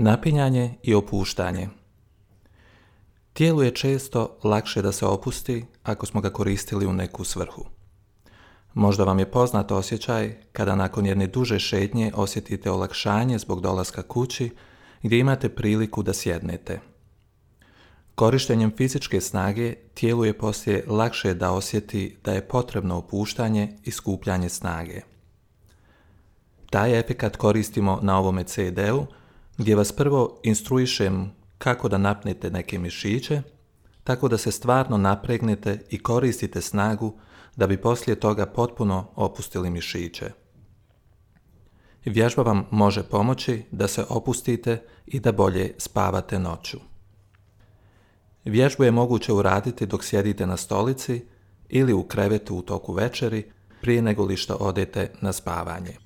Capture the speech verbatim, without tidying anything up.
Napinjanje i opuštanje. Tijelu je često lakše da se opusti ako smo ga koristili u neku svrhu. Možda vam je poznat osjećaj kada nakon jedne duže šetnje osjetite olakšanje zbog dolaska kući gdje imate priliku da sjednete. Korištenjem fizičke snage tijelu je poslije lakše da osjeti da je potrebno opuštanje i skupljanje snage. Taj efekat koristimo na ovome ce de-u gdje vas prvo instruišem kako da napnete neke mišiće, tako da se stvarno napregnete i koristite snagu da bi poslije toga potpuno opustili mišiće. Vježba vam može pomoći da se opustite i da bolje spavate noću. Vježbu je moguće uraditi dok sjedite na stolici ili u krevetu u toku večeri prije nego li što odete na spavanje.